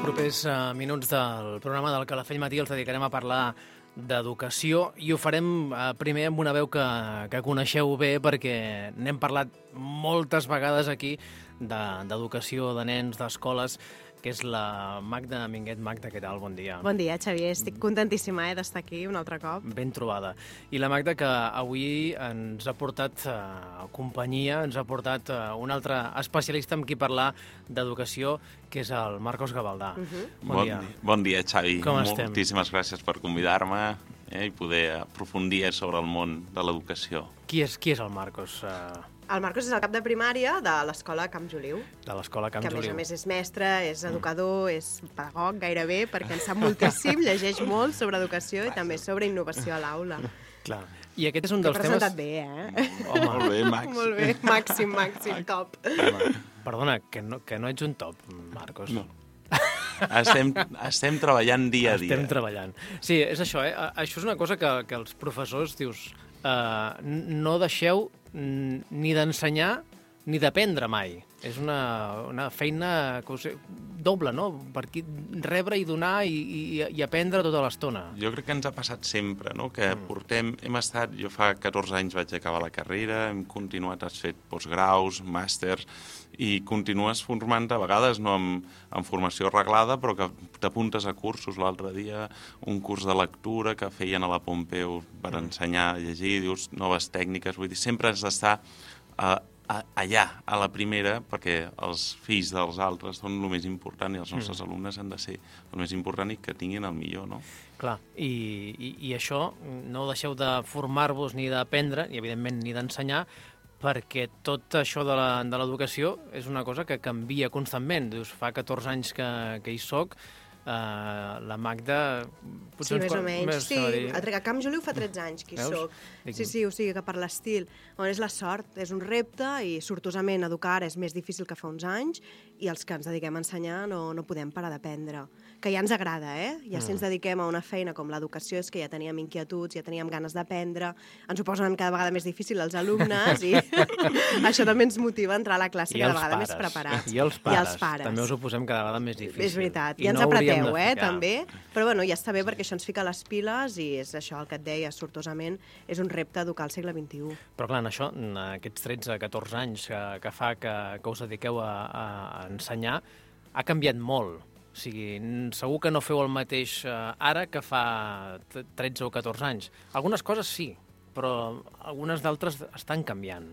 propers minuts del programa del Calafell Matí els dedicarem a parlar d'educació i ho farem primer amb una veu que coneixeu bé perquè n'hem parlat moltes vegades aquí d'educació, de nens, d'escoles, que és la Magda Minguet. Magda, què tal? Bon dia. Bon dia, Xavier. Estic contentíssima d'estar aquí un altre cop. Ben trobada. I la Magda, que avui ens ha portat companyia, ens ha portat un altre especialista amb qui parlar d'educació, que és el Marcos Gavaldà. Bon dia, Xavi. Com estem? Moltíssimes gràcies per convidar-me i poder aprofundir sobre el món de l'educació. Qui és el Marcos? El Marcos és el cap de primària de l'escola Camp Joliu. De l'escola Camp Joliu. Que, a més és mestre, és educador, és pedagog gairebé, perquè en sap moltíssim, llegeix molt sobre educació i també sobre innovació a l'aula. Clar. I aquest és un dels temes... T'he presentat bé, eh? Home, molt bé, màxim. Molt bé, màxim, top. Home, perdona, que no ets un top, Marcos. No. Estem treballant dia a dia. Estem treballant. Sí, és això, eh? Això és una cosa que els professors, dius, no deixeu ni d'ensenyar ni d'aprendre mai. És una feina doble, no? Per aquí rebre i donar i aprendre tota l'estona. Jo crec que ens ha passat sempre, no? Que jo fa 14 anys vaig acabar la carrera, hem continuat, has fet postgraus, màsters, i continues formant a vegades no amb formació reglada, però que t'apuntes a cursos. L'altre dia un curs de lectura que feien a la Pompeu per ensenyar a llegir, dius noves tècniques, vull dir, sempre has d'estar allà, a la primera, perquè els fills dels altres són el més important i els nostres alumnes han de ser el més important i que tinguin el millor, no? Clar, i això no deixeu de formar-vos ni d'aprendre, i evidentment ni d'ensenyar, perquè tot això de l'educació és una cosa que canvia constantment. Dius, fa 14 anys que hi soc, la Magda... Sí, més o menys. Sí, a Camp Joliu fa 13 anys que hi soc. Sí, o sigui que per l'estil. És la sort, és un repte i sortosament educar és més difícil que fa uns anys i els que ens dediquem a ensenyar no podem parar d'aprendre. Que ja ens agrada, Ja si ens dediquem a una feina com l'educació és que ja teníem inquietuds, ja teníem ganes d'aprendre, ens ho posen cada vegada més difícil els alumnes i això també ens motiva a entrar a la classe cada vegada més preparats. I els pares. També us ho posem cada vegada més difícil. És veritat. I ens apreteu, també. Però bueno, ja està bé perquè això ens fica les piles i és això el que et deia, sortosament, és un repte educar al segle XXI. Però clar, en això, aquests 13-14 anys que fa que us dediqueu a ensenyar, ha canviat molt. O sigui, segur que no feu el mateix ara que fa 13 o 14 anys. Algunes coses sí, però algunes d'altres estan canviant.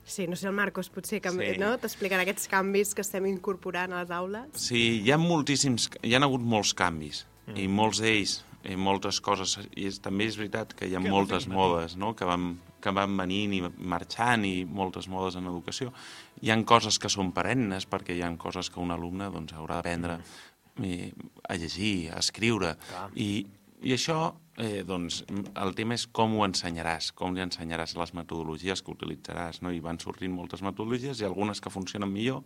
Sí, no sé, el Marcos potser no? T'explicarà aquests canvis que estem incorporant a les aules. Sí, hi ha hagut molts canvis, i molts d'ells, moltes coses, i també és veritat que hi ha moltes modes, no? que van venint i marxant, i moltes modes en educació. Hi ha coses que són perennes, perquè hi ha coses que un alumne haurà d'aprendre a llegir, a escriure, i això, el tema és com ho ensenyaràs, com li ensenyaràs les metodologies que utilitzaràs, no? I van sortint moltes metodologies i algunes que funcionen millor,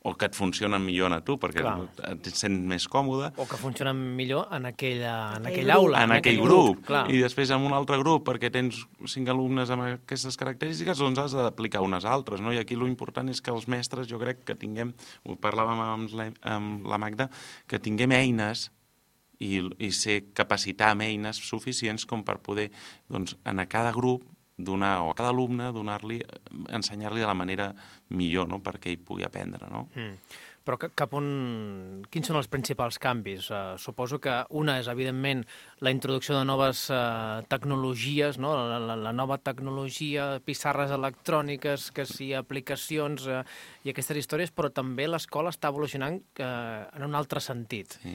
o que et funcionen millor a tu, perquè et sents més còmode. O que funcionen millor en aquell aula. En aquell grup. I després en un altre grup, perquè tens 5 alumnes amb aquestes característiques, doncs has d'aplicar unes altres, no? I aquí l'important és que els mestres, jo crec que tinguem, ho parlàvem amb la Magda, que tinguem eines i ser capacitar amb eines suficients com per poder, doncs, a cada grup donar, o a cada alumne, ensenyar-li de la manera millor, no?, perquè ell pugui aprendre, no? Però quins són els principals canvis? Suposo que una és, evidentment, la introducció de noves tecnologies, no? La nova tecnologia, pissarres electròniques, que sí, aplicacions i aquestes històries, però també l'escola està evolucionant en un altre sentit. Sí.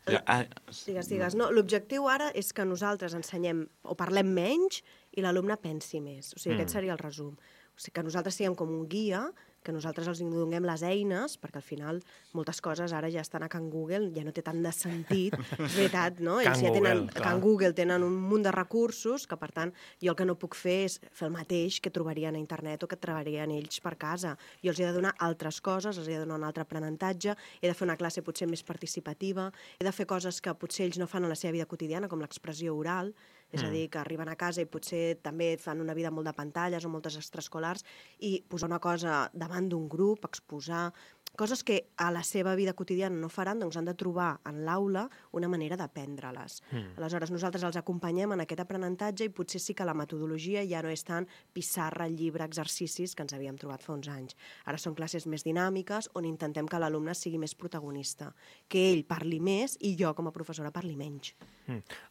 Digues. No, l'objectiu ara és que nosaltres ensenyem o parlem menys i l'alumne pensi més. O sigui, aquest seria el resum. O sigui, que nosaltres siguem com un guia, que nosaltres els donem les eines, perquè al final moltes coses ara ja estan a Can Google, ja no té tant de sentit, és veritat, no? Ells ja tenen, a Can Google tenen un munt de recursos que, per tant, jo el que no puc fer és fer el mateix que trobarien a internet o que trobarien ells per casa. Jo els he de donar altres coses, els he de donar un altre aprenentatge, he de fer una classe potser més participativa, he de fer coses que potser ells no fan a la seva vida quotidiana, com l'expressió oral, és a dir, que arriben a casa i potser també fan una vida molt de pantalles o moltes extraescolars i posar una cosa davant d'un grup, exposar, coses que a la seva vida quotidiana no faran, doncs han de trobar en l'aula una manera d'aprendre-les. Aleshores, nosaltres els acompanyem en aquest aprenentatge i potser sí que la metodologia ja no és tant pissarra, llibre, exercicis que ens havíem trobat fa uns anys. Ara són classes més dinàmiques on intentem que l'alumne sigui més protagonista, que ell parli més i jo com a professora parli menys.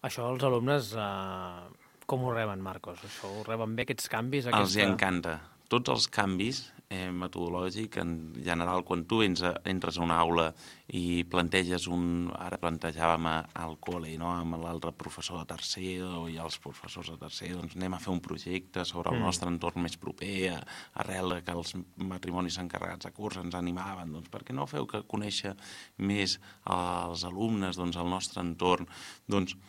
Això els alumnes com ho reben, Marcos? Això ho reben bé, aquests canvis? Els hi encanta. Tots els canvis metodològics, en general, quan tu entres a una aula i planteges ara plantejàvem al col·le, no? Amb l'altre professor de tercer i els professors de tercer, doncs anem a fer un projecte sobre el nostre entorn més proper, arrel que els matrimonis encarregats de curs ens animaven, doncs per què no feu que conèixer més els alumnes, doncs el nostre entorn, doncs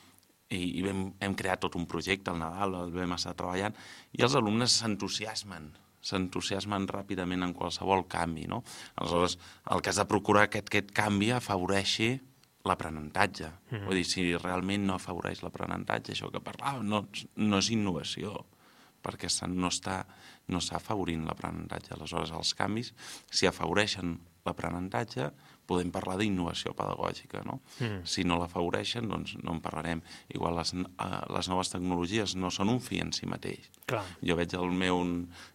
i hem creat tot un projecte al Nadal, el vam estar treballant, i els alumnes s'entusiasmen ràpidament en qualsevol canvi, no? Aleshores, el que has de procurar que aquest canvi afavoreixi l'aprenentatge. Vull dir, si realment no afavoreix l'aprenentatge, això que parlàvem, no és innovació, perquè no està afavorint l'aprenentatge. Aleshores, els canvis, si afavoreixen l'aprenentatge, podem parlar d'innovació pedagògica, no? Si no l'afavoreixen, doncs no en parlarem. Igual les noves tecnologies no són un fi en si mateix. Clar. Jo veig el meu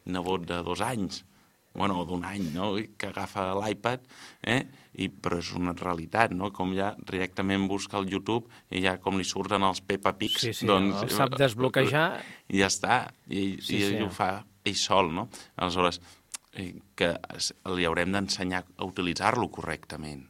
nebot de 2 anys, o d'1 any, no? Que agafa l'iPad, però és una realitat, no? Com ja directament busca al YouTube i ja com li surten els Peppa Pigs, sí, doncs... el sap desbloquejar. I ja està, i ell ho fa ell sol, no? Aleshores, que li haurem d'ensenyar a utilitzar-lo correctament,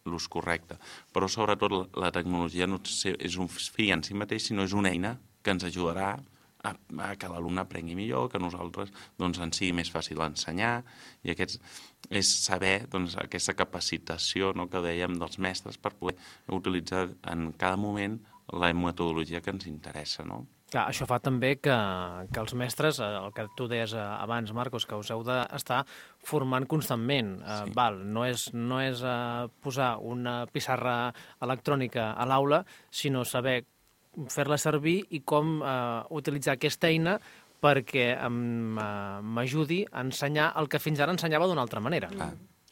l'ús correcte. Però sobretot la tecnologia no és un fi en si mateix, sinó és una eina que ens ajudarà a que l'alumne aprengui millor, que a nosaltres doncs, ens sigui més fàcil ensenyar, i és saber aquesta capacitació, no, que dèiem dels mestres per poder utilitzar en cada moment la metodologia que ens interessa, no? Clar, això fa també que els mestres, el que tu deies abans, Marcos, que us heu d'estar formant constantment. Sí. No és posar una pissarra electrònica a l'aula, sinó saber fer-la servir i com utilitzar aquesta eina perquè m'ajudi a ensenyar el que fins ara ensenyava d'una altra manera.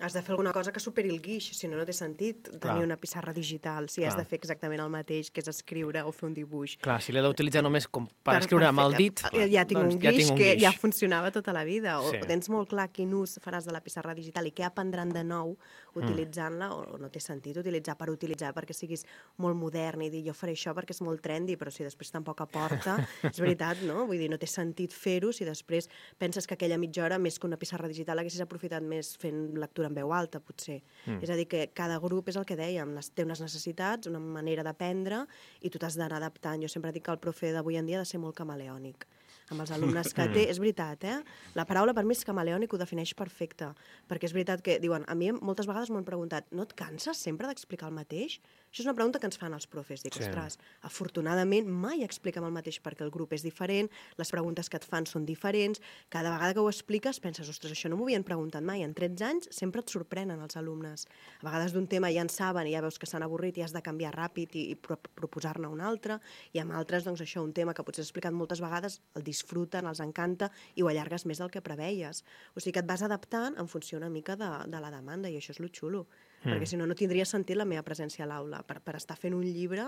Has de fer alguna cosa que superi el guix, si no, no té sentit tenir una pissarra digital, si has de fer exactament el mateix, que és escriure o fer un dibuix. Clar, si l'he d'utilitzar només com per escriure amb el dit, ja tinc un guix que ja funcionava tota la vida, o Sí. tens molt clar quin ús faràs de la pissarra digital i què aprendran de nou utilitzant-la, o no té sentit utilitzar per utilitzar perquè siguis molt modern i dir jo faré això perquè és molt trendy, però si després tampoc aporta, és veritat, no? Vull dir, no té sentit fer-ho si després penses que aquella mitja hora, més que una pissarra digital, haguessis aprofitat més fent lectura en veu alta, potser. És a dir, que cada grup és el que dèiem, té unes necessitats, una manera d'aprendre, i tu t'has d'anar adaptant. Jo sempre dic que el profe d'avui en dia ha de ser molt camaleònic. Amb els alumnes que té, és veritat, La paraula per mi és camaleònic, ho defineix perfecte, perquè és veritat que, diuen, a mi moltes vegades m'han preguntat, no et canses sempre d'explicar el mateix? Això és una pregunta que ens fan els profes. Dic, ostres, afortunadament mai expliquem el mateix perquè el grup és diferent, les preguntes que et fan són diferents, cada vegada que ho expliques penses, ostres, això no m'ho havien preguntat mai. En 13 anys sempre et sorprenen els alumnes. A vegades d'un tema ja en saben i ja veus que s'han avorrit i has de canviar ràpid i proposar-ne un altre, i amb altres, doncs això, un tema que potser has explicat moltes vegades, el disfruten, els encanta i ho allargues més del que preveies. O sigui que et vas adaptant en funció una mica de la demanda, i això és lo xulo. Perquè si no, no tindria sentit la meva presència a l'aula. Per estar fent un llibre,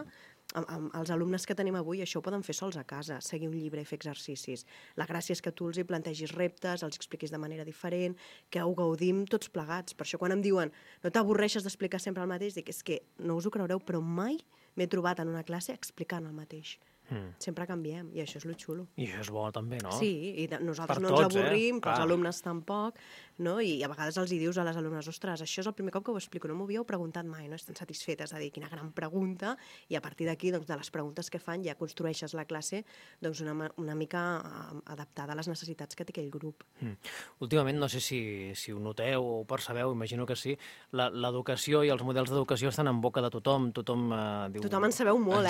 els alumnes que tenim avui això ho poden fer sols a casa, seguir un llibre i fer exercicis. La gràcia és que tu els hi plantegis reptes, els expliquis de manera diferent, que ho gaudim tots plegats. Per això quan em diuen no t'avorreixes d'explicar sempre el mateix, dic, és que no us ho creureu, però mai m'he trobat en una classe explicant el mateix. Sempre canviem, i això és lo xulo. I això és bo també, no? Sí, i nosaltres Per no tots, ens avorrim, que els Clar. alumnes tampoc, no? I a vegades els hi dius a les alumnes, ostres, això és el primer cop que ho explico, no m'ho havíeu preguntat mai, no? Estan satisfetes de dir quina gran pregunta, i a partir d'aquí, doncs, de les preguntes que fan, ja construeixes la classe doncs, una mica adaptada a les necessitats que té aquell grup. Últimament, no sé si ho noteu o ho percebeu, imagino que sí, l'educació i els models d'educació estan en boca de tothom. Tothom diu... Tothom en sabeu molt,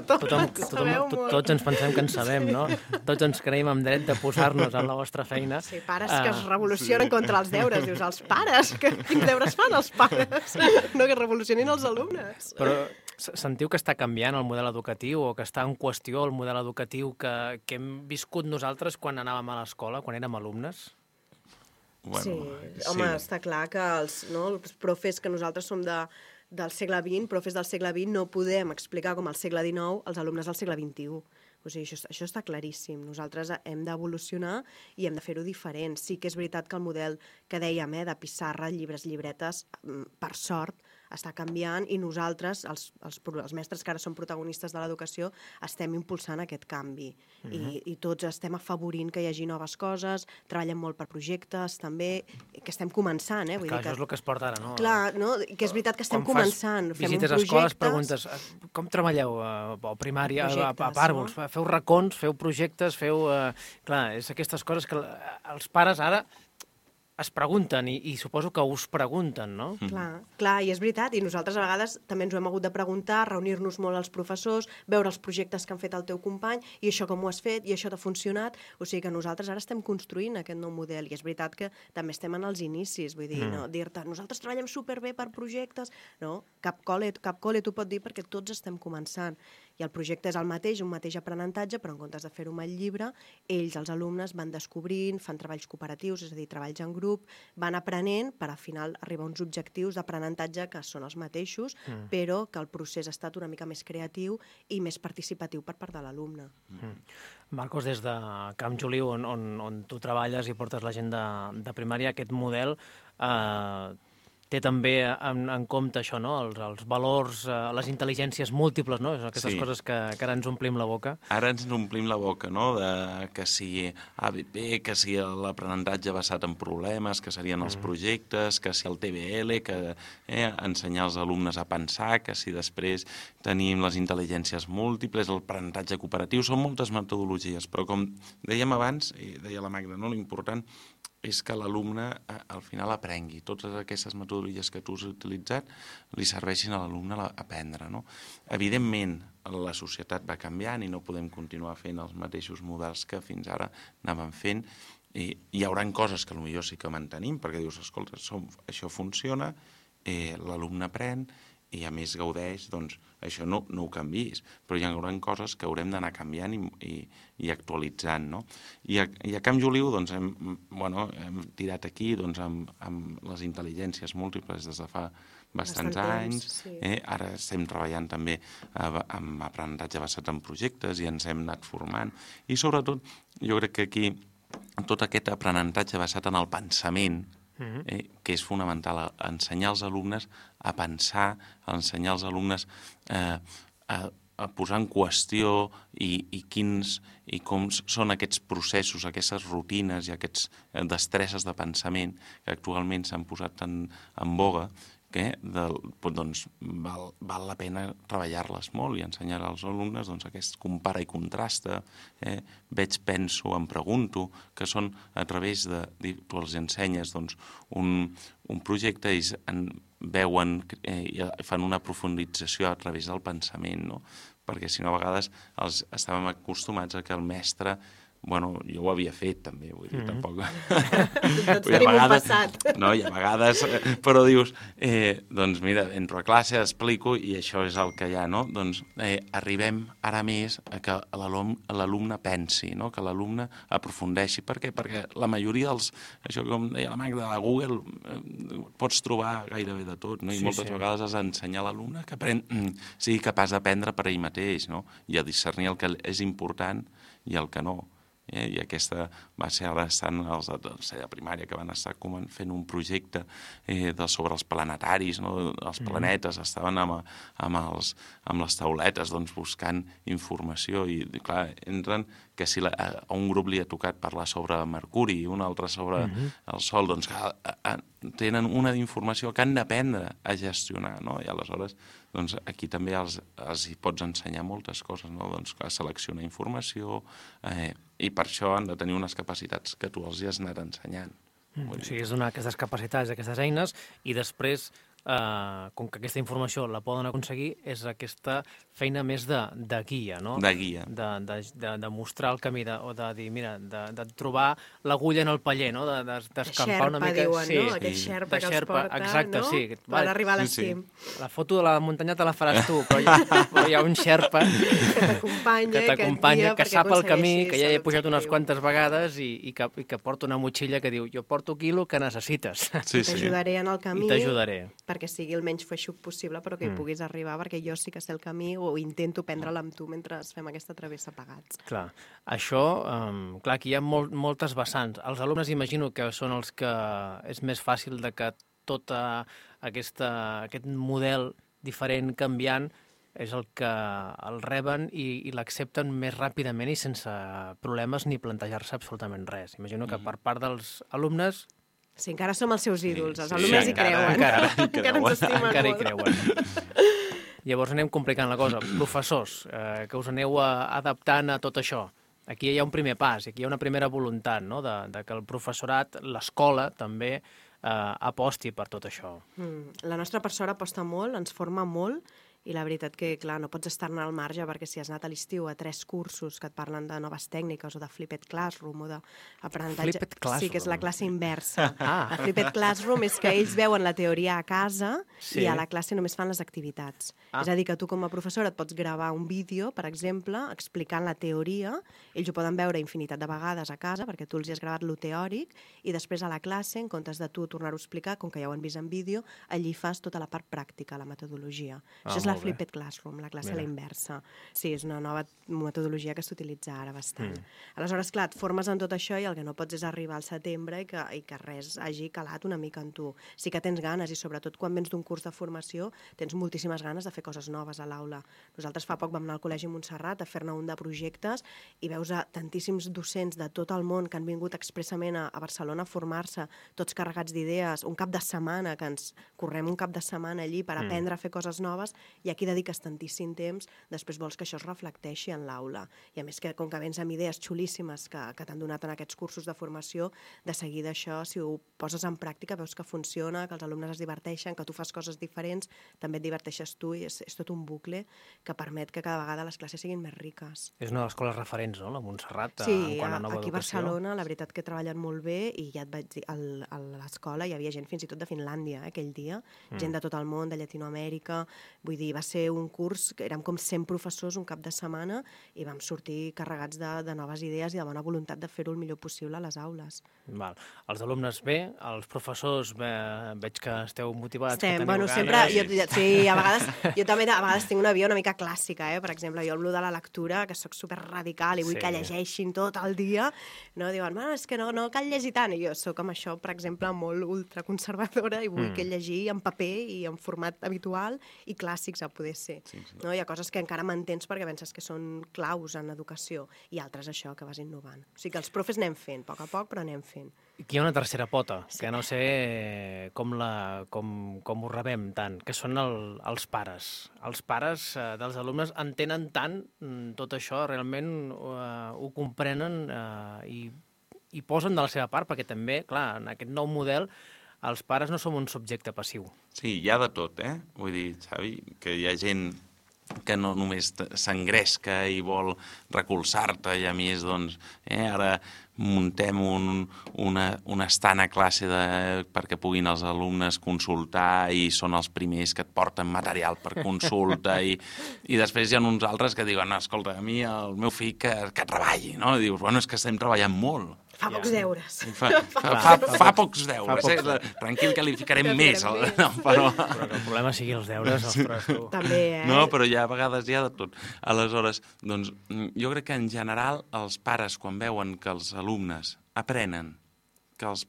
Tots ens pensem que en sabem, no? Tots ens creiem amb dret de posar-nos en la vostra feina. Sí, pares que es revolucionen contra els deures. Dius, els pares? Quins deures fan els pares? No, que revolucionin els alumnes. Però sentiu que està canviant el model educatiu o que està en qüestió el model educatiu que hem viscut nosaltres quan anàvem a l'escola, quan érem alumnes? Sí, home, està clar que els profes que nosaltres som del segle XX, profes del segle XX, no podem explicar com al segle XIX els alumnes del segle XXI. O sigui, això està claríssim. Nosaltres hem d'evolucionar i hem de fer-ho diferent. Sí que és veritat que el model que dèiem, de pissarra, llibres, llibretes, per sort, està canviant i nosaltres, els mestres que ara som protagonistes de l'educació, estem impulsant aquest canvi. I tots estem afavorint que hi hagi noves coses, treballem molt per projectes, també, que estem començant. Vull clar, dir que... això és el que es porta ara, no? Clar, no? Que és veritat que estem començant. Quan visites a escoles, preguntes com treballeu a primària, a pàrvuls? Feu racons, feu projectes, feu... Clar, és aquestes coses que els pares ara es pregunten i suposo que us pregunten, no? Clar, i és veritat, i nosaltres a vegades també ens ho hem hagut de preguntar, reunir-nos molt als professors, veure els projectes que han fet el teu company, i això com ho has fet, i això t'ha funcionat, o sigui que nosaltres ara estem construint aquest nou model, i és veritat que també estem en els inicis, vull dir, no dir-te, nosaltres treballem superbé per projectes, no, cap col·le t'ho pot dir perquè tots estem començant, i el projecte és el mateix, un mateix aprenentatge, però en comptes de fer-ho amb el llibre, ells, els alumnes, van descobrint, fan treballs cooperatius, és a dir, treballs en grup, van aprenent per al final arribar a uns objectius d'aprenentatge que són els mateixos, però que el procés ha estat una mica més creatiu i més participatiu per part de l'alumne. Marcos, des de Camp Joliu, on tu treballes i portes la gent de primària, aquest model té també en compte això, no? Els valors, les intel·ligències múltiples, no? Aquestes coses que ara ens omplim la boca. Ara ens omplim la boca, no? Que si ABP, que si l'aprenentatge basat en problemes, que serien els projectes, que si el TBL, que ensenyar als alumnes a pensar, que si després tenim les intel·ligències múltiples, l'aprenentatge cooperatiu, són moltes metodologies, però com dèiem abans, i deia la Magda, no? L'important és que l'alumne al final aprengui. Totes aquestes metodologies que tu has utilitzat li serveixin a l'alumne a aprendre, no? Evidentment, la societat va canviant i no podem continuar fent els mateixos models que fins ara anàvem fent. I hi haurà coses que potser sí que mantenim, perquè dius, escolta, això funciona, l'alumne aprèn, i a més gaudeix, doncs això no ho canviïs, però hi haurà coses que haurem d'anar canviant i actualitzant, no? I a Camp Joliu doncs, hem tirat aquí doncs, amb les intel·ligències múltiples des de fa bastants anys. Ara estem treballant també amb aprenentatge basat en projectes i ens hem anat formant. I sobretot, jo crec que aquí tot aquest aprenentatge basat en el pensament, que és fonamental, ensenyar als alumnes a pensar, ensenyar als alumnes a posar en qüestió i com són aquests processos, aquestes rutines i aquestes destreses de pensament que actualment s'han posat en boga, que doncs, val la pena treballar-les molt i ensenyar als alumnes aquest compara i contrasta, veig, penso, em pregunto, que són a través de... Tu els ensenyes un projecte i veuen i fan una profundització a través del pensament, no? Perquè si no a vegades estàvem acostumats a que el mestre... Bueno, jo ho havia fet també, vull dir, tampoc... Tots tenim un passat. No, i a vegades, però dius, doncs mira, entro a classe, explico i això és el que hi ha, no? Doncs arribem ara més a que l'alumne pensi, no? Que l'alumne aprofundeixi. Per què? Perquè la majoria dels... Això com deia la Magda, a Google pots trobar gairebé de tot, no? I moltes vegades has d'ensenyar a l'alumne que sigui capaç d'aprendre per ell mateix, no? I a discernir el que és important i el que no. I aquesta va ser ara estant els de tercera primària que van estar fent un projecte sobre els planetaris, no? Els planetes, estaven amb les tauletes doncs, buscant informació i clar, entren que si a un grup li ha tocat parlar sobre Mercuri i un altre sobre el Sol, doncs tenen una informació que han d'aprendre a gestionar, no? I aleshores doncs, aquí també els hi pots ensenyar moltes coses, no? Doncs, a seleccionar informació i per això han de tenir unes capacitats que tu els hi has anat ensenyant. O sigui, és donar aquestes capacitats, aquestes eines, i després com que aquesta informació la poden aconseguir, és aquesta feina més de guia, no? De guia. De mostrar el camí, o de dir, mira, de trobar l'agulla en el paller, no? D'escampar una mica... Diuen, no? Aquell xerpa que els porta, exacte, no? sí. Per arribar a l'estim. La foto de la muntanya te la faràs tu, però hi ha un xerpa que t'acompanya, que sap el camí, que ja he pujat unes quantes vegades i que porta una motxilla que diu jo porto quilo que necessites. Sí, t'ajudaré en el camí. I t'ajudaré. Perquè sigui el menys feixuc possible, però que hi puguis arribar, perquè jo sí que sé el camí o intento prendre-la amb tu mentre fem aquesta travessa plegats. Clar, això, clar, aquí hi ha moltes vessants. Els alumnes imagino que són els que és més fàcil de que tot aquest model diferent, canviant, és el que el reben i l'accepten més ràpidament i sense problemes ni plantejar-se absolutament res. Imagino que per part dels alumnes... Sí, encara som els seus ídols, els alumnes hi creuen. Encara ens estimen molt. Encara hi creuen. Llavors anem complicant la cosa. Professors, que us aneu adaptant a tot això. Aquí hi ha un primer pas, aquí hi ha una primera voluntat, no?, de que el professorat, l'escola, també aposti per tot això. La nostra persona aposta molt, ens forma molt, i la veritat que, clar, no pots estar-ne al marge perquè si has anat a l'estiu a 3 cursos que et parlen de noves tècniques o de Flipped Classroom o d'aprenentatge... Flipped Classroom? Sí, que és la classe inversa. La Flipped Classroom és que ells veuen la teoria a casa i a la classe només fan les activitats. És a dir, que tu com a professora et pots gravar un vídeo, per exemple, explicant la teoria, ells ho poden veure infinitat de vegades a casa perquè tu els hi has gravat lo teòric i després a la classe, en comptes de tu tornar-ho a explicar, com que ja ho han vist en vídeo, allí fas tota la part pràctica, la metodologia. Això és la Flipped Classroom, la classe a la inversa. Sí, és una nova metodologia que s'utilitza ara bastant. Aleshores, clar, et formes en tot això i el que no pots és arribar al setembre i que res hagi calat una mica en tu. Sí que tens ganes i sobretot quan vens d'un curs de formació tens moltíssimes ganes de fer coses noves a l'aula. Nosaltres fa poc vam anar al Col·legi Montserrat a fer-ne un de projectes i veus a tantíssims docents de tot el món que han vingut expressament a Barcelona a formar-se, tots carregats d'idees, un cap de setmana, que ens correm un cap de setmana allí per aprendre a fer coses noves i aquí dediques tantíssim temps, després vols que això es reflecteixi en l'aula. I a més que com que vens amb idees xulíssimes que t'han donat en aquests cursos de formació, de seguida això, si ho poses en pràctica, veus que funciona, que els alumnes es diverteixen, que tu fas coses diferents, també et diverteixes tu i és tot un bucle que permet que cada vegada les classes siguin més riques. És una de les escoles referents, no?, la Montserrat, sí, en quant a nova educació. Sí, aquí a Barcelona la veritat que treballen molt bé i ja et vaig dir, a l'escola hi havia gent fins i tot de Finlàndia aquell dia, gent de tot el món, de Llatinoamèrica, vull dir, va ser un curs que érem com 100 professors un cap de setmana i vam sortir carregats de noves idees i de bona voluntat de fer-ho el millor possible a les aules. Val. Els alumnes bé, els professors veig que esteu motivats, que teniu ganes. Sempre, sí, a vegades, jo també a vegades tinc una via una mica clàssica, per exemple, jo el de la lectura, que sóc super radical i vull que llegeixin tot el dia, no? Diuen, és que no cal llegir tant, i jo sóc amb això, per exemple, molt ultraconservadora i vull que llegir en paper i en format habitual i clàssics a poder ser. Sí. No? Hi ha coses que encara mantens perquè penses que són claus en educació i altres això, que vas innovant. O sigui que els profes anem fent, a poc, però anem fent. Aquí hi ha una tercera pota, que no sé com ho rebem tant, que són els pares. Els pares dels alumnes entenen tant tot això, realment ho comprenen i posen de la seva part, perquè també, clar, en aquest nou model els pares no som un subjecte passiu. Sí, hi ha de tot, Vull dir, Xavi, que hi ha gent que no només s'engresca i vol recolzar-te i a més, doncs, ara muntem un estant a classe perquè puguin els alumnes consultar i són els primers que et porten material per consulta i després hi ha uns altres que diuen, escolta, a mi el meu fill que treballi, no? I dius, bueno, és que estem treballant molt. Fa pocs deures. Fa pocs deures. Tranquil, que li ficarem més. Però que el problema sigui els deures, ostres, tu. També, No, però a vegades hi ha de tot. Aleshores, doncs, jo crec que en general els pares, quan veuen que els alumnes aprenen, que els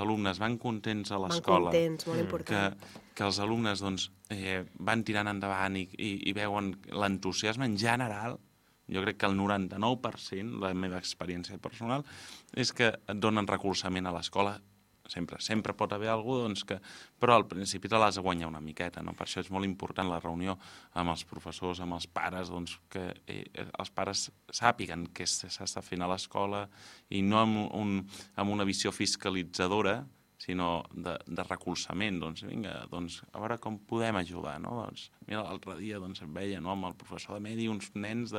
alumnes van contents a l'escola, van contents, molt important, que els alumnes doncs, van tirant endavant i veuen l'entusiasme en general, jo crec que el 99%, la meva experiència personal, és que et donen recolzament a l'escola. Sempre pot haver algú, doncs, però al principi te l'has de guanyar una miqueta, no? Per això és molt important la reunió amb els professors, amb els pares, doncs, que els pares sàpiguen què s'està fent a l'escola i no amb una visió fiscalitzadora, sinó de recolzament. Doncs vinga, doncs a veure com podem ajudar, no? Doncs mira, l'altre dia doncs, em veia, no, amb el professor de medi uns nens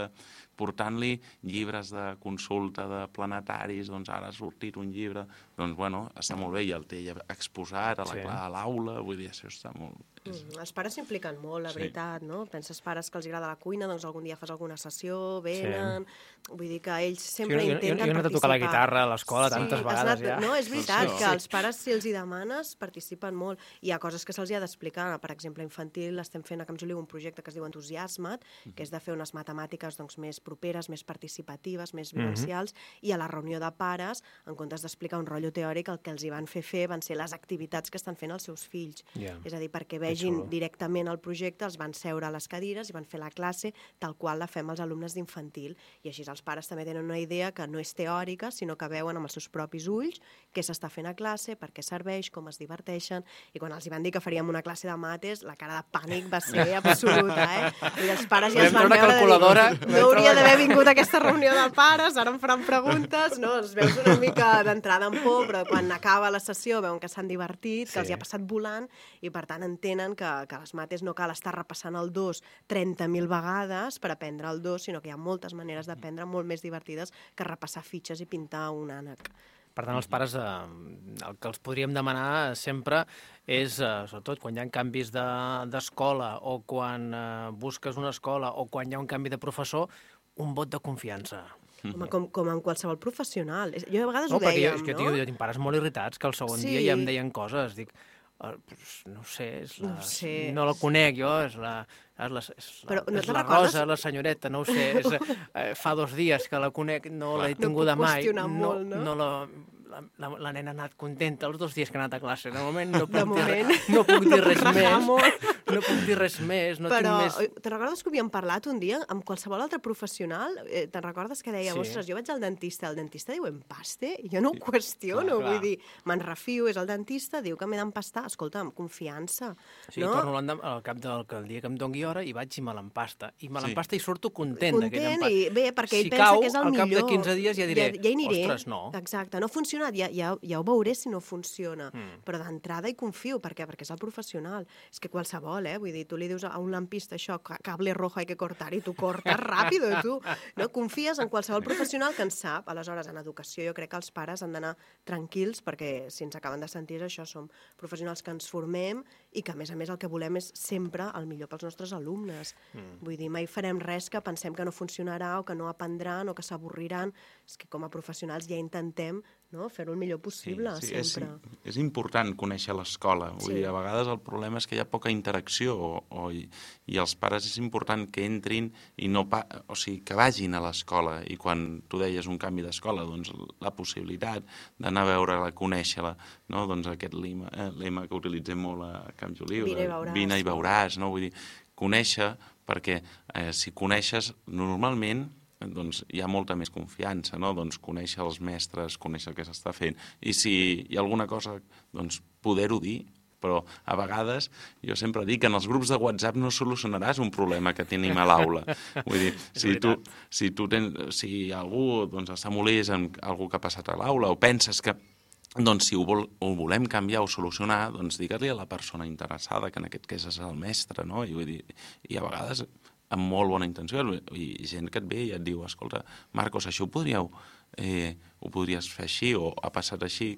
portant-li llibres de consulta de planetaris, doncs ara ha sortit un llibre, doncs bueno, està molt bé, i el té ja exposat a l'aula, vull dir, això està molt... Els pares s'impliquen molt, la veritat, no? Penses pares que els agrada la cuina, doncs algun dia fas alguna sessió, venen... Vull dir que ells sempre intenten participar. Jo he anat a tocar la guitarra a l'escola tantes vegades ja. No, és veritat que els pares, si els hi demanes, participen molt. Hi ha coses que se'ls ha d'explicar. Per exemple, infantil, estem fent a Camp Joliu un projecte que es diu Entusiasma't, que és de fer unes matemàtiques més properes, més participatives, més vivencials, i a la reunió de pares, en comptes d'explicar un rotllo teòric, el que els hi van fer van ser les activitats que estan fent els seus fills. És a dir, perquè vegin directament el projecte, els van seure a les cadires i van fer la classe tal qual la fem els alumnes d'infantil. I així els pares també tenen una idea que no és teòrica, sinó que veuen amb els seus propis ulls què s'està fent a classe, per què serveix, com es diverteixen. I quan els hi van dir que faríem una classe de mates, la cara de pànic va ser absoluta, I els pares ja es van veure de dir, no hauria d'haver vingut a aquesta reunió de pares, ara em faran preguntes, no? Els veus una mica d'entrada en por, però quan acaba la sessió veuen que s'han divertit, que els hi ha passat volant, i per tant entenen que les mates no cal estar repassant el 2 30.000 vegades per aprendre el 2, sinó que hi ha moltes maneres d'aprendre molt més divertides que repassar fitxes i pintar un ànec. Per tant, els pares, el que els podríem demanar sempre és, sobretot, quan hi ha canvis d'escola o quan busques una escola o quan hi ha un canvi de professor, un vot de confiança. Home, com en qualsevol professional. Jo a vegades ho dèiem, no? Jo tinc pares molt irritats que el segon dia ja em deien coses. Dic, no sé, no la conec jo, és la Rosa, la senyoreta, no ho sé, fa 2 dies que la conec, no l'he tinguda mai, la nena ha anat contenta els 2 dies que ha anat a classe. De moment no puc dir res més, no tinc més... Però te'n recordes que havíem parlat un dia amb qualsevol altre professional? Te'n recordes que deia, ostres, jo vaig al dentista, el dentista diu empaste? Jo no ho qüestiono, vull dir, me'n refio, és el dentista, diu que m'he d'empastar, escolta, amb confiança. Sí, torno al cap del dia que em doni hora i vaig i me l'empasta. I me l'empasta i surto content d'aquell empat. I bé, perquè ell pensa que és el millor. Si cau, al cap de 15 dies ja diré, ostres, no. Exacte, no ha funcionat, ja ho veuré si no funciona. Però d'entrada hi confio, perquè és el professional. És que qualsevol, vull dir, tu li dius a un lampista això, cable rojo hay que cortar, i tu cortes ràpido, tu. No? Confies en qualsevol professional que en sap. Aleshores, en educació jo crec que els pares han d'anar tranquils, perquè si ens acaben de sentir això, som professionals que ens formem i que, a més el que volem és sempre el millor pels nostres alumnes. Vull dir, mai farem res que pensem que no funcionarà o que no aprendran o que s'avorriran. És que com a professionals ja intentem fer-ho el millor possible, sempre. És important conèixer l'escola. Vull dir, a vegades el problema és que hi ha poca interacció i els pares és important que entrin i o sigui, que vagin a l'escola. I quan tu deies un canvi d'escola, doncs la possibilitat d'anar a veure-la, conèixer-la, no? Doncs aquest lema que utilitzem molt a Camp Joliu, vine i veuràs, no? Vull dir, conèixer, perquè si coneixes normalment doncs hi ha molta més confiança, no? Doncs conèixer els mestres, conèixer el que s'està fent. I si hi ha alguna cosa, doncs poder-ho dir, però a vegades jo sempre dic que en els grups de WhatsApp no solucionaràs un problema que tenim a l'aula. Vull dir, si algú està molest amb algú que ha passat a l'aula o penses que doncs si ho volem canviar o solucionar, doncs digue-li a la persona interessada, que en aquest cas és el mestre, no? I vull dir, i a vegades amb molt bona intenció, i gent que et ve i et diu, escolta, Marcos, això ho podries fer així, o ha passat així,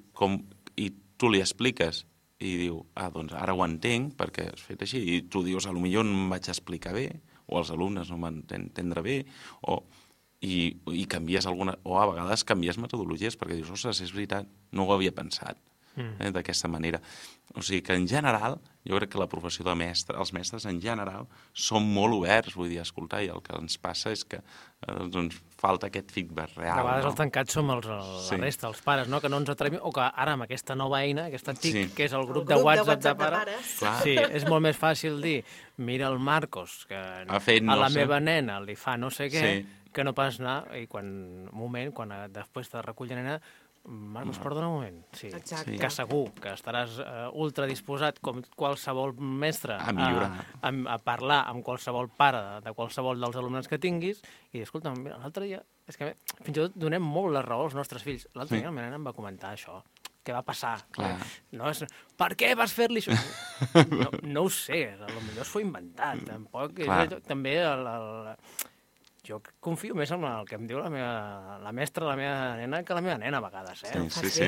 i tu li expliques, i diu, doncs ara ho entenc, perquè has fet així, i tu dius, potser no em vaig explicar bé, o els alumnes no m'han d'entendre bé, i canvies alguna... O a vegades canvies metodologies, perquè dius, ostres, és veritat, no ho havia pensat d'aquesta manera. O sigui que, en general, jo crec que la professió de mestre, els mestres en general, són molt oberts, vull dir, escoltar, i el que ens passa és que falta aquest feedback real. A vegades els tancats som la resta, els pares, no? Que no ens atrevim, o que ara amb aquesta nova eina, aquesta TIC, que és el grup de WhatsApp de pares, sí, és molt més fàcil dir, mira el Marcos, que a la meva nena li fa no sé què, que no pas anar, i quan després de recull la nena, Marcos, perdona un moment. Sí. Que segur que estaràs ultra disposat, com qualsevol mestre, a parlar amb qualsevol pare de qualsevol dels alumnes que tinguis i dir, escolta, l'altre dia... És que fins i tot donem molt la raó als nostres fills. L'altre dia la meva nena em va comentar això, què va passar? Clar. No és, per què vas fer-li això? No ho sé, potser s'ho ha inventat. Tampoc, també jo confio més en el que em diu la mestra de la meva nena que la meva nena a vegades, Sí.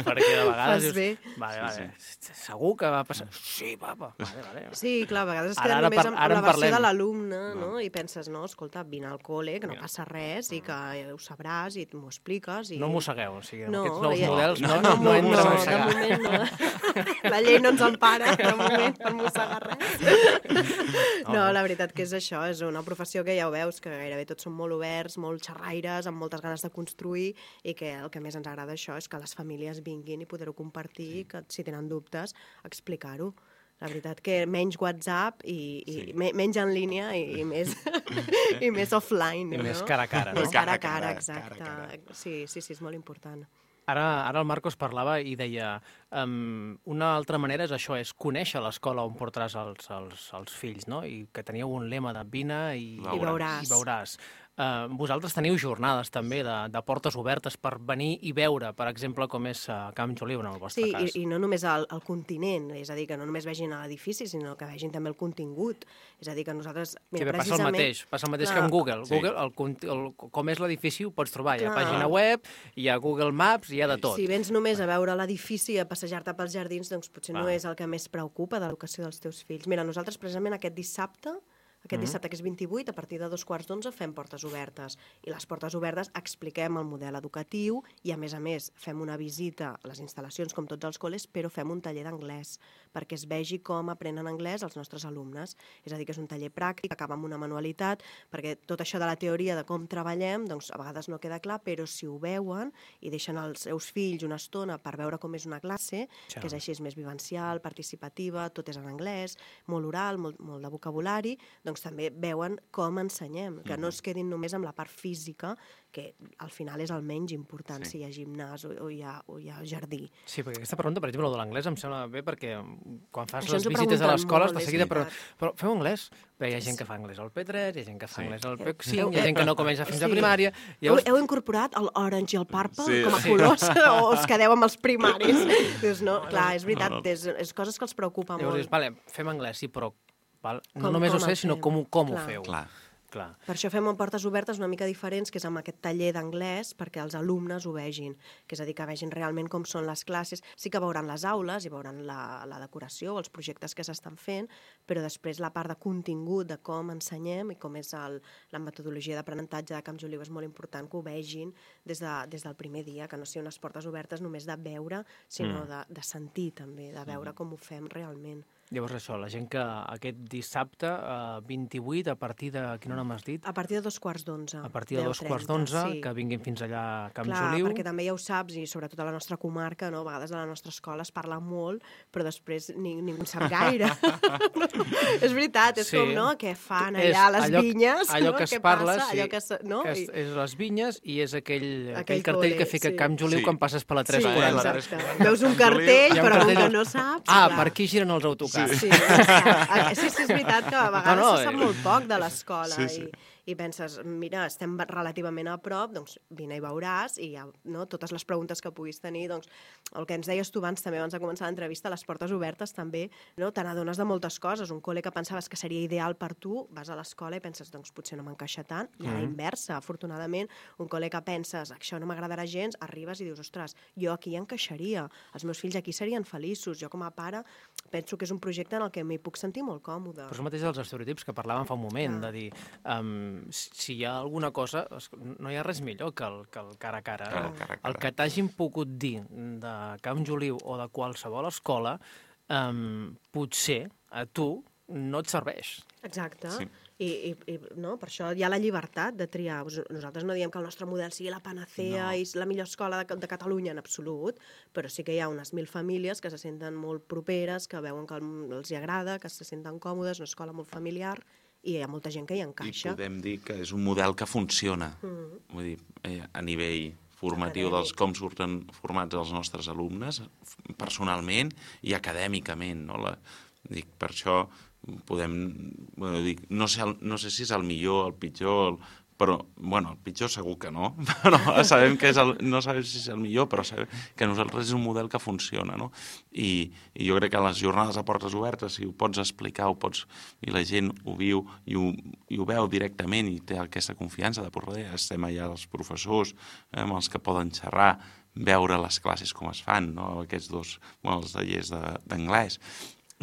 Perquè de vegades Fas bé. dius, vale, segur que va passar? Sí, papa. Vale. Sí, clar, a vegades es queden només amb la versió de l'alumne, no? I penses, no, escolta, vine al col·le, que no passa res, i que ho sabràs, i m'ho expliques. No mossegueu, o sigui, No, aquests nous models no de entra a mossegar. moment no. La llei no ens empara, de moment, per mossegar res. No, la veritat que és això, és una professió que ja ho veus, que gairebé tots són molt oberts, molt xerraires, amb moltes ganes de construir, i que el que més ens agrada això és que les famílies vinguin i poder-ho compartir, i que si tenen dubtes, explicar-ho. La veritat que menys WhatsApp i menys en línia i més offline. I més cara a cara, no? Més cara a cara, exacte. Sí, és molt important. Ara el Marcos parlava i deia una altra manera és això, és conèixer l'escola on portaràs els fills, no? I que teníeu un lema de vine i veuràs. Vosaltres teniu jornades també de portes obertes per venir i veure, per exemple, com és Camp Joliu en el vostre cas. Sí, i no només el continent, és a dir, que no només vegin l'edifici, sinó que vegin també el contingut. És a dir, que nosaltres... Mira, passa el mateix que amb Google. Google, com és l'edifici, ho pots trobar. Hi ha pàgina web, hi ha Google Maps, hi ha de tot. Si vens només a veure l'edifici, a passejar-te pels jardins, doncs potser no és el que més preocupa de l'educació dels teus fills. Mira, nosaltres precisament aquest dissabte, que és 28, a partir de 2:45 fem portes obertes. I les portes obertes expliquem el model educatiu i, a més, fem una visita a les instal·lacions, com tots els col·les, però fem un taller d'anglès, perquè es vegi com aprenen anglès els nostres alumnes. És a dir, que és un taller pràctic, acaba amb una manualitat, perquè tot això de la teoria de com treballem, doncs a vegades no queda clar, però si ho veuen i deixen els seus fills una estona per veure com és una classe, que és així, és més vivencial, participativa, tot és en anglès, molt oral, molt de vocabulari, doncs també veuen com ensenyem, que no es quedin només amb la part física, que al final és el menys important, si hi ha gimnàs o hi ha jardí. Sí, perquè aquesta pregunta, per exemple, de l'anglès em sembla bé, perquè quan fas les visites a les escoles, de seguida, però feu anglès? Bé, hi ha gent que fa anglès al P3, hi ha gent que fa anglès al P5, hi ha gent que no comença fins a primària... Heu incorporat l'orange i el purple com a colors o us quedeu amb els primaris? Dius, no, clar, és veritat, és coses que els preocupa molt. Llavors dius, vale, fem anglès, sí, però no només ho sé, sinó com ho feu. Clar. Per això fem portes obertes una mica diferents, que és amb aquest taller d'anglès, perquè els alumnes ho vegin, que és a dir, que vegin realment com són les classes. Sí que veuran les aules i veuran la decoració o els projectes que s'estan fent, però després la part de contingut, de com ensenyem i com és la metodologia d'aprenentatge de Camp Joliu és molt important que ho vegin des del primer dia, que no siguin unes portes obertes només de veure, sinó de sentir també, de veure com ho fem realment. Llavors això, la gent que aquest dissabte 28, a partir de quina hora m'has dit? A partir de 2:45. A partir de 2:45, que vinguin fins allà a Camp Joliu. Clar, perquè també ja ho saps, i sobretot a la nostra comarca, no? A vegades a la nostra escola es parla molt, però després ningú en sap gaire. És veritat, és com, no?, què fan allà a les vinyes. Allò que es parla, sí, és les vinyes i és aquell cartell que fica Camp Joliu quan passes per la 340. Veus un cartell, però que no saps. Per aquí giren els autocars. Sí, és veritat que a vegades se sap molt poc de l'escola i penses, mira, estem relativament a prop, doncs vine i veuràs, i totes les preguntes que puguis tenir, doncs el que ens deies tu abans també abans de començar l'entrevista, les portes obertes també, te n'adones de moltes coses. Un col·le que pensaves que seria ideal per tu, vas a l'escola i penses, doncs potser no m'encaixa tant, i a la inversa, afortunadament, un col·le que penses, això no m'agradarà gens, arribes i dius, ostres, jo aquí encaixaria, els meus fills aquí serien feliços, jo com a pare penso que és un projecte en el que m'hi puc sentir molt còmode. Però és mateix dels estereotips que parlàvem fa un moment, de dir, si hi ha alguna cosa, no hi ha res millor que el cara a cara. El que t'hagin pogut dir de Camp Joliu o de qualsevol escola, potser a tu no et serveix. Exacte. I per això hi ha la llibertat de triar. Nosaltres no diem que el nostre model sigui la panacea i la millor escola de Catalunya en absolut, però sí que hi ha unes 1.000 famílies que se senten molt properes, que veuen que els hi agrada, que se senten còmodes, una escola molt familiar, i hi ha molta gent que hi encaixa. I podem dir que és un model que funciona, vull dir, a nivell formatiu dels com surten formats els nostres alumnes, personalment i acadèmicament. Dic, per això podem... No sé si és el millor, el pitjor, Però, bueno, el pitjor segur que no, però sabem que no sabem si és el millor, però sabem que nosaltres és un model que funciona, no? I jo crec que a les jornades a portes obertes, si ho pots explicar, i la gent ho viu i ho veu directament i té aquesta confiança de por darrere, estem allà els professors, amb els que poden xerrar, veure les classes com es fan, no? Aquests dos, els tallers d'anglès,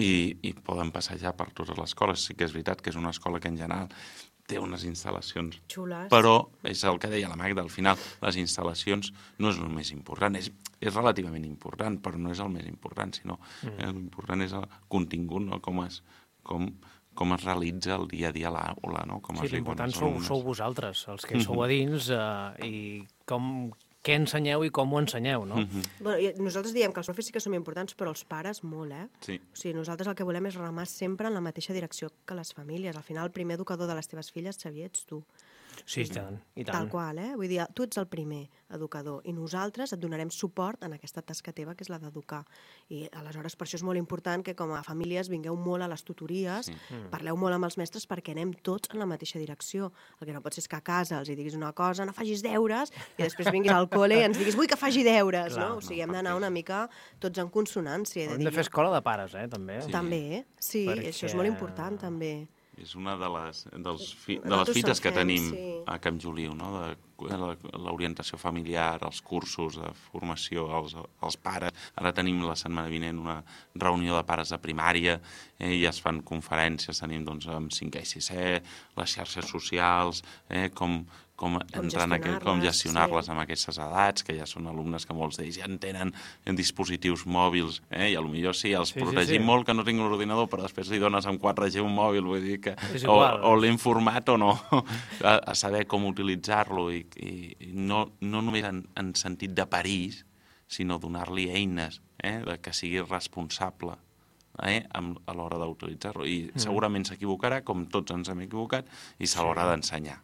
i poden passejar per totes les escoles. Sí que és veritat que és una escola que en general té unes instal·lacions xules, però és el que deia la Magda, al final les instal·lacions no és el més important, és relativament important, però no és el més important, sinó l'important és el contingut, no? Com es realitza el dia a dia a l'aula, no? Sí, l'important sou vosaltres, els que sou a dins, i què ensenyeu i com ho ensenyeu, no? Bueno, nosaltres diem que els profes sí que som importants, però els pares molt, Sí. O sigui, nosaltres el que volem és remar sempre en la mateixa direcció que les famílies. Al final, el primer educador de les teves filles, Xavier, ets tu. Sí, i tant. Tal qual, Vull dir, tu ets el primer educador i nosaltres et donarem suport en aquesta tasca teva, que és la d'educar. I aleshores per això és molt important que com a famílies vingueu molt a les tutories, parleu molt amb els mestres perquè anem tots en la mateixa direcció. El que no pot ser és que a casa els hi diguis una cosa, no facis deures, i després vinguis al col·le i ens diguis vull que faci deures, no? O sigui, hem d'anar una mica tots en consonància. Hem de fer escola de pares, també. També, sí, això és molt important, també. És una de les fites que tenim a Camp Joliu, no? De l'orientació familiar, els cursos de formació als pares. Ara tenim la setmana vinent una reunió de pares de primària i es fan conferències, tenim amb 5è i 6è, les xarxes socials, com gestionar-les amb aquestes edats, que ja són alumnes que molts d'ells ja en tenen dispositius mòbils, i potser sí, els protegim molt que no tinguin l'ordinador, però després li dones amb 4G un mòbil, vull dir que o l'hem format o no, a saber com utilitzar-lo i no només en sentit de perill, sinó donar-li eines que sigui responsable a l'hora d'utilitzar-lo. I segurament s'equivocarà, com tots ens hem equivocat, i se l'haurà d'ensenyar.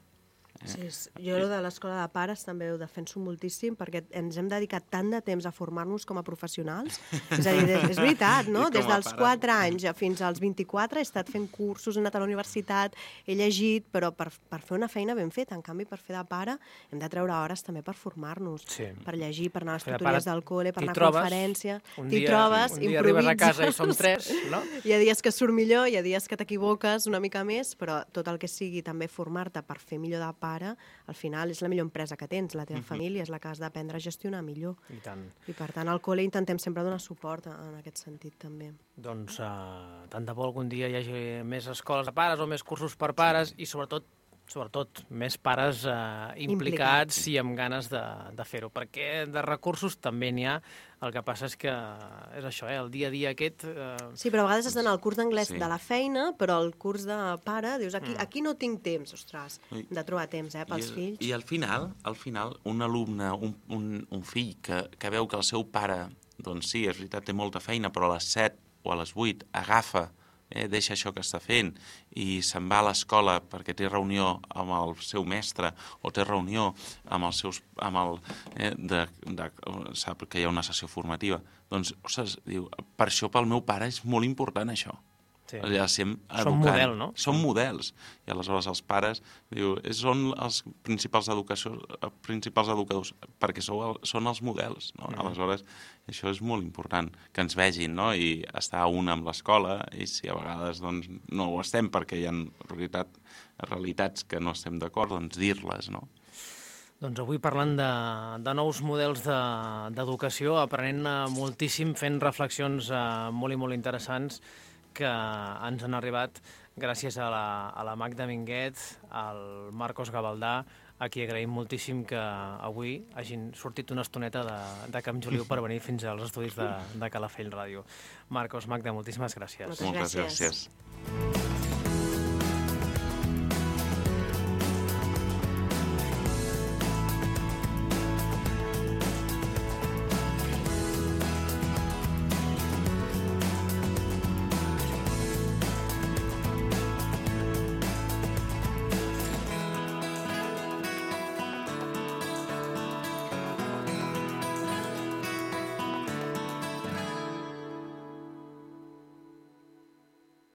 Sí, jo de l'escola de pares també ho defenso moltíssim perquè ens hem dedicat tant de temps a formar-nos com a professionals. És a dir, és veritat, no? Des dels 4 anys fins als 24 he estat fent cursos, he anat a la universitat, he llegit, però per fer una feina ben feta. En canvi, per fer de pare hem de treure hores també per formar-nos, per llegir, per anar a les tutories del col·le, per anar a conferència. T'hi trobes, improvises. Un dia arribes a casa i som 3, no? Hi ha dies que surt millor, hi ha dies que t'equivoques una mica més, però tot el que sigui també formar-te per fer millor de pare, al final és la millor empresa que tens, la teva família és la que has d'aprendre a gestionar millor. I tant. I per tant al col·le intentem sempre donar suport en aquest sentit també. Doncs tant de bo algun dia hi hagi més escoles de pares o més cursos per pares i sobretot més pares implicats i amb ganes de fer-ho, perquè de recursos també n'hi ha. El que passa és que és això, el dia a dia aquest... Sí, però a vegades has d'anar al curs d'anglès de la feina, però el curs de pare, dius, aquí no tinc temps, ostres, de trobar temps pels fills. I al final, un alumne, un fill que veu que el seu pare, doncs sí, és veritat, té molta feina, però a les 7 o a les 8 agafa, deixa això que està fent i se'n va a l'escola perquè té reunió amb el seu mestre o té reunió amb els seus... sap que hi ha una sessió formativa. Doncs, ostres, diu, per això pel meu pare és molt important això. Sí. Som model, no? Som models. I aleshores els pares són els principals educadors perquè són els models. No? Aleshores, això és molt important, que ens vegin, no? I estar a una amb l'escola, i si a vegades doncs, no ho estem perquè hi ha realitats que no estem d'acord, doncs dir-les, no? Doncs avui parlant de nous models d'educació, aprenent moltíssim, fent reflexions molt i molt interessants que ens han arribat gràcies a la Magda Minguet, al Marcos Gavaldà, a qui agraïm moltíssim que avui hagin sortit una estoneta de Camp Joliu per venir fins als estudis de Calafell Ràdio. Marcos, Magda, moltíssimes gràcies. Moltes gràcies.